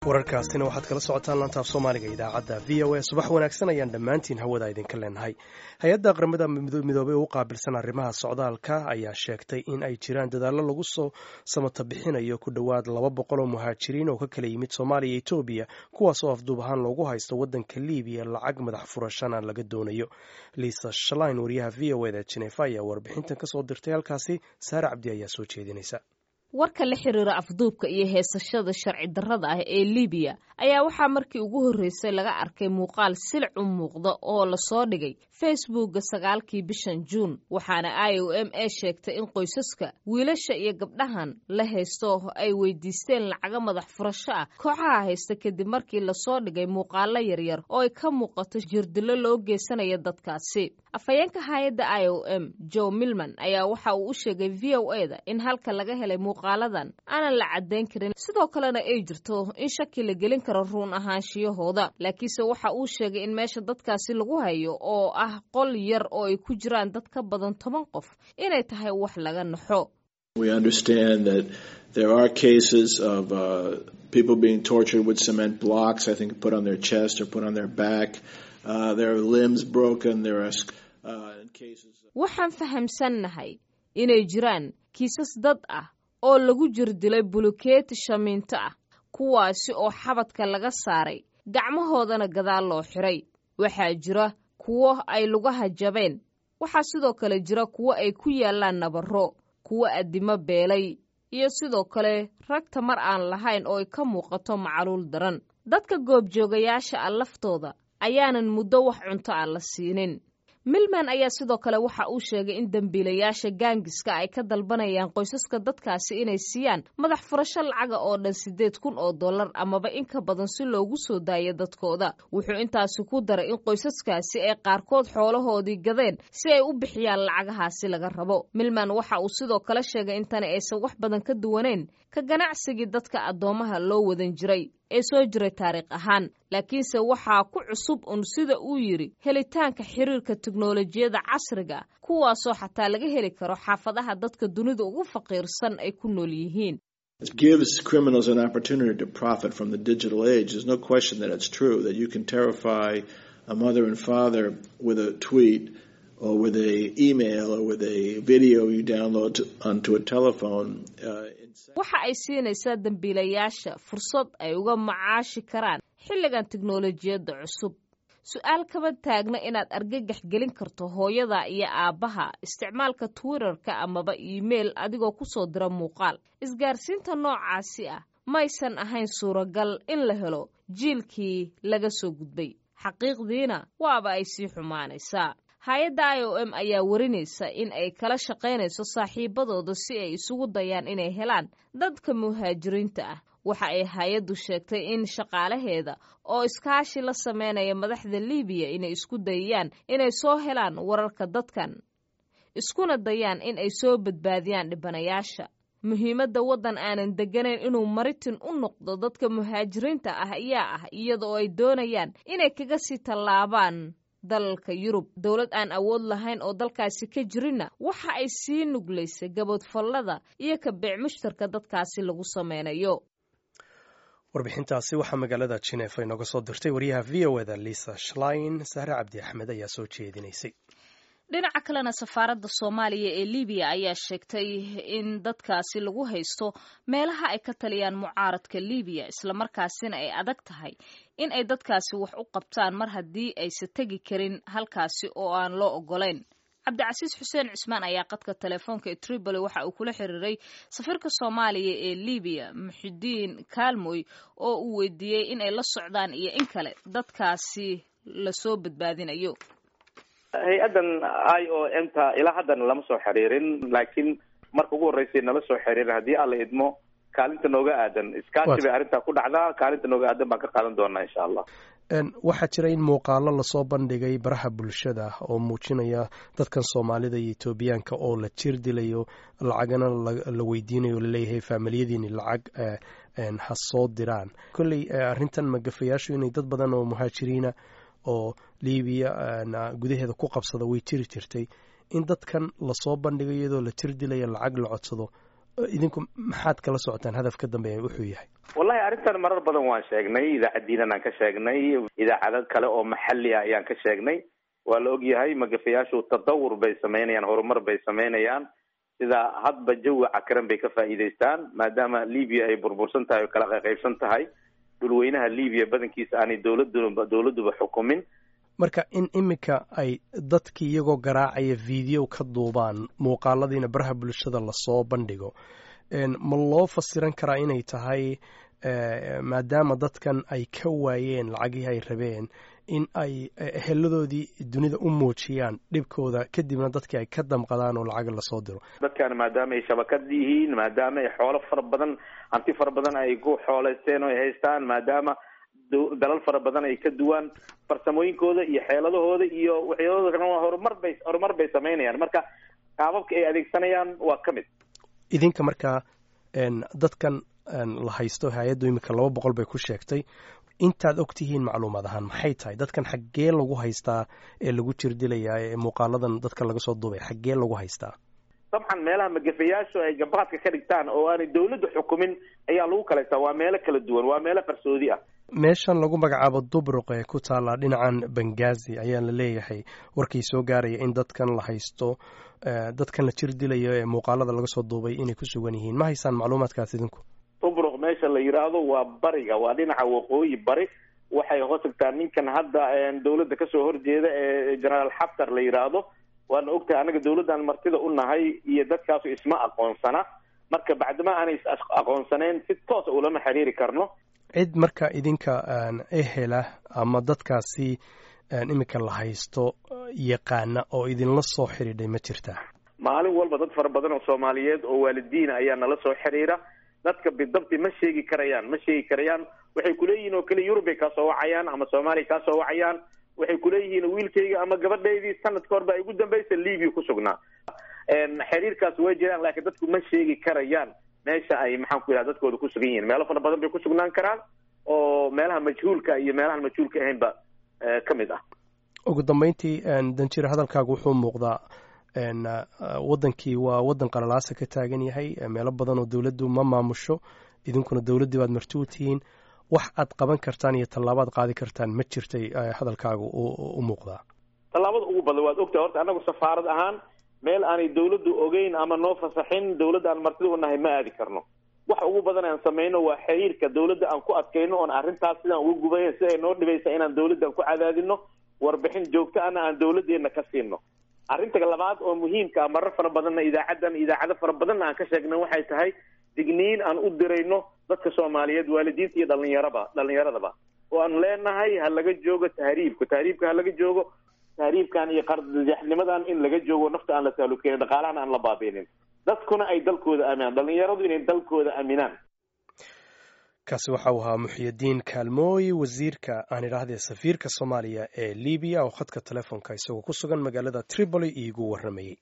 Wararkaasina waxaad kala socotaan lantaaf Soomaaliga idaacadda VOA. Subax wanaagsan ayaan dhammaantiin hawada idinka leenahay. Hay-adda Qaramada Midoobey u qaabilsan arrimaha socdaalka ayaa sheegtay in ay jiraan dadaallo lagu soo samata bixinayo ku dhowaad 200 oo muhaajiriin oo ka kala yimid Soomaaliya iyo Etoobiya, kuwaas oo afduub ahaan loogu haysto waddanka Liibiya, lacag madax furashana laga doonayo. Liisa Shalain, wariyaha VOA da Jineefa, ayaa warbixintan kasoo dirtay halkaasi. Saare Cabdi ayaa soo jeedinaysa. Warka la xiriira afduubka iyo heesashada sharci darrada ah ee Libiya ayaa waxaa markii ugu horreysay laga arkay muuqaal silic u muuqda oo lasoo dhigay Facebookga 9-kii bishan Juun, waxaana IOM e sheegtay in qoysaska wiilasha iyo gabdhahan la haysto ay weydiisteen lacago madax furasho ah kooxaha haysta, kadib markii lasoo dhigay muuqaalo yaryar oo ay ka muuqato jirdilo loo geysanaya dadkaasi. Afhayeenka hay-adda IOM, Joe Milman, ayaa waxa uu u sheegay VOA da in halka laga helay muuqaaladan aanan la caddayn karin, sidoo kalena ay jirto in shaki la gelin karo run ahaanshiyahooda. Laakiinse waxa uu sheegay in meesha dadkaasi lagu hayo, oo ah qol yar oo ay ku jiraan dad ka badan 10 qof, inay tahay wax laga naxo. We understand that there are cases of people being tortured with cement blocks, I think, put on their chest or put on their back. There are limbs broken. There are cases. Waxaan fahamsannahay inay jiraan kiisas dad ah oo lagu jirdilay bulukeeti shamiinto ah, kuwaasi oo xabadka laga saaray, gacmahoodana gadaal loo xiray. Waxaa jira kuwo ay lugaha jabeen. Waxaa sidoo kale jira kuwo ay ku yaallaan nabarro, kuwo addimo beelay, iyo sidoo kale rag tamar aan lahayn oo ay ka muuqato macaluul daran. Dadka goobjoogayaasha ah laftooda ayaanan muddo wax cunto ah la siinin. Milman ayaa sidoo kale waxa uu sheegay in dembiilayaasha gaangiska ay ka dalbanayaan qoysaska dadkaasi inay siiyaan madax furasho lacaga oo dhan $8,000 amaba in ka badan si loogu soo daayo dadkooda. Wuxuu intaasi ku daray in qoysaskaasi ay qaarkood xoolahoodii gadeen si ay u bixiyaan lacagahaasi laga rabo. Milman waxa uu sidoo kale sheegay in tani aysan wax badan ka duwaneyn ka ganacsigii dadka addoomaha loo wadan jiray ee soo jiray taariikh ahaan, laakiinse waxaa ku cusub un, sida uu yidhi, helitaanka xiriirka teknolojiyadda casriga, kuwaasoo xataa laga heli karo xaafadaha dadka dunida ugu faqiirsan ay ku nool yihiin. It gives criminals an opportunity to profit from the digital age. There's no question that it's true that you can terrify a mother and father with a tweet or with a email or with a video you download onto a telephone. Waxa ay siinaysaa dembiilayaasha fursad ay uga macaashi karaan xilligan teknolojiyadda cusub. Su-aal kama taagna inaad argagax gelin karto hooyada iyo aabbaha isticmaalka Twitterka amaba email adigoo kusoo dira muuqaal. Isgaarsiinta noocaasi ah maysan ahayn suuragal in la helo jiilkii laga soo gudbay. Xaqiiqdiina waaba ay sii xumaanaysaa. Hay-adda IOM ayaa warinaysa in ay kala shaqaynayso saaxiibadooda si ay isugu dayaan inay helaan dadka muhaajiriinta ah. Waxa ay hay-addu sheegtay in shaqaalaheeda oo iskaashi la sameynaya madaxda Libiya inay isku dayayaan inay soo helaan wararka dadkan, iskuna dayaan in ay soo badbaadiyaan dhibanayaasha. Muhiimadda waddan aanan degganayn inuu maritin u noqdo dadka muhaajiriinta ah ayaa ah iyada oo ay doonayaan inay kaga sii tallaabaan dalalka Yurub. Dowlad aan awood lahayn oo dalkaasi ka jirinna waxa ay sii nuglaysay gaboodfallada iyo ka beec mushtarka dadkaasi lagu sameynayo. Warbixintaasi waxaa magaalada Jineefa inooga soo dirtay wariyaha VOA da Lisa Shlein. Sahre Cabdi Axmed ayaa soo jeedinaysay. Dhinaca kalena, safaaradda Soomaaliya ee Libiya ayaa sheegtay in dadkaasi lagu haysto meelaha ay ka taliyaan mucaaradka Libiya, islamarkaasina ay adag tahay in ay dadkaasi wax u qabtaan mar haddii aysa tegi karin halkaasi oo aan loo ogolayn. Cabdicasiis Xuseen Cusmaan ayaa qadka telefoonka ee Tripoli waxa uu kula xiriiray safiirka Soomaaliya ee Libiya, Muxidiin Kaalmoy, oo uu weydiiyey in ay la socdaan iyo in kale dadkaasi lasoo badbaadinayo. Hay-addan IOM ta ilaa haddana lama soo xiriirin, laakiin marka ugu horreysay nala soo xiriirin, haddii Alla idmo, kaalinta nooga aadan, iskaashi bay arrintaa ku dhacdaa, kaalinta nooga aadan baan ka qaadan doonaa, insha Allah. Waxaa jira in muuqaalo lasoo bandhigay baraha bulshada oo muujinaya dadkan Soomaalida iyo Etoobiyaanka oo la jir dilayo, lacagana la weydiinayo, laleeyahay faamiliyadiini lacag ha soo diraan. Kolley arrintan magafayaashu inay dad badan oo muhaajiriina oo Libiya gudaheeda ku qabsada way jiri jirtay. In dadkan lasoo bandhigo iyadoo la jir dilaya, lacag la codsado, idinku maxaad kala socotaan hadaf ka dambeeya wuxuu yahay? Wallahi arrintan marar badan waan sheegnay, idaacaddiinan aan ka sheegnay, idaacado kale oo maxalli ah ayaan ka sheegnay. Waa la ogyahay magafayaashu tadawur bay samaynayaan, horumar bay samaynayaan, sida hadba jawi cakaran bay ka faa'iidaystaan, maadaama Libiya ay burbursan tahay oo kala qaybsan tahay, dhulweynaha Libiya badankiisa aanay dowladduba xukumin. Marka in iminka ay dadkii iyagoo garaacaya video ka duubaan, muuqaaladiina baraha bulshada lasoo bandhigo, ma loo fasiran karaa inay tahay maadaama dadkan ay ka waayeen lacagihii ay rabeen, in ay eheladoodii dunida u muujiyaan dhibkooda, kadibna dadkii ay ka damqadaan oo lacag lasoo diro? Dadkan maadaama ay shabakad yihiin, maadaama ay xoolo fara badan, hanti fara badan ay ku xooleysteen oo ay haystaan, maadaama dalal fara badan ay ka duwaan farsamooyinkooda iyo xeeladahooda iyo waxyaalahooda kalena, waa horumar bay samaynayaan. Marka qaababka ay adeegsanayaan waa ka mid. Idinka markaa dadkan la haysto, hay-addu iminka 200 bay ku sheegtay. Intaad og tihiin macluumaad ahaan, maxay tahay dadkan xaggee lagu haystaa ee lagu jirdilayaa ee muuqaaladan dadka laga soo duubay, xaggee lagu haystaa? Dabcan meelaha magafayaashu ay gabaadka ka dhigtaan oo aanay dawladdu xukumin ayaa lagu kala haystaa. Waa meelo kala duwan, waa meelo qarsoodi ah. Meeshan lagu magacaabo Dubruq ee ku taalla dhinacan Bangazi ayaa la leeyahay warkii soo gaaraya in dadkan la haysto, dadkan la jir dilayo ee muuqaalada laga soo duubay, inay ku sugan yihiin. Ma haysaan macluumaadkaas idinku? Tubruq meesha la yidhaahdo waa bariga, waa dhinaca waqooyi bari. Waxay hoos tagtaa ninkan hadda dawladda kasoo horjeeda ee Generaal Xaftar la yidhaahdo. Waana ogtahay annaga dawladdan martida u nahay iyo dadkaasu isma aqoonsana. Marka bacdama aanay is aqoonsaneyn, si toosa ulama xiriiri karno. Cid marka idinka ehela ama dadkaasi iminka la haysto yaqaana oo idinla soo xidhiidhay ma jirtaa? Maalin walba dad fara badan oo Soomaaliyeed oo waalidiina ayaa nala soo xiriira. Dadka bidabti ma sheegi karayaan, ma sheegi karayaan. Waxay kuleeyihiin oo kale Yurub bay kaasoo wacayaan ama Soomaaliya kaasoo wacayaan. Waxay kuleeyihiin wiilkayga ama gabadhaydii sanadka hor baa igu dambaysa Libiya ku sugnaa. Xiriirkaas way jiraan, laakiin dadku ma sheegi karayaan meesha ay, maxaan ku yidhaha, dadkooda ku sugan yihiin. Meelo fara badan bay ku sugnaan karaan oo meelaha majhuulka iyo meelahan majhuulka ahaynba ka mid ah. Ugu dambeyntii, danjir, hadalkaagu wuxuu muuqdaa waddankii waa waddan qalalaasa ka taagan yahay, meelo badan oo dowladdu ma maamusho, idinkuna dowladdii baad marti u tihiin. Wax aad qaban kartaan iyo tallaabaad qaadi kartaan ma jirtay hadalkaagu u muuqdaa? Tallaabada ugu badan waad ogtahay. Horta annagu safaarad ahaan meel aanay dawladdu ogeyn ama noo fasaxin dawladda aan martida u nahay ma aadi karno. Wax ugu badan aan samayno waa xiriirka dawladda aan ku adkayno, oon arrintaas sidaan uga gubaya, si ay noo dhibaysa, inaan dawladdan ku cadaadino, warbixin joogto ana aan dawladdeena ka siino. Arrinta labaad oo muhiimka ah, marar fara badanna idaacaddan, idaacado fara badanna aan ka sheegnay, waxay tahay digniin aan u dirayno dadka Soomaaliyeed, waalidiinta iyo dhalinyaradaba, oo aan leenahay ha laga joogo tahriibka, tahriibka ha laga joogo, tahriibkan iyo qardajaxnimadan in laga joogo, nafta aan la taalukeyn, dhaqaalahan aan la baabiinin, dadkuna ay dalkooda aaminaan, dhalinyaradu inay dalkooda aaminaan. Kaasi waxa uu ahaa Muxyidiin Kaalmooy, wasiirka, aan idhaahdee safiirka Soomaaliya ee Libiya, oo khadka telefoonka isagoo ku sugan magaalada Tripoli iigu warramayey.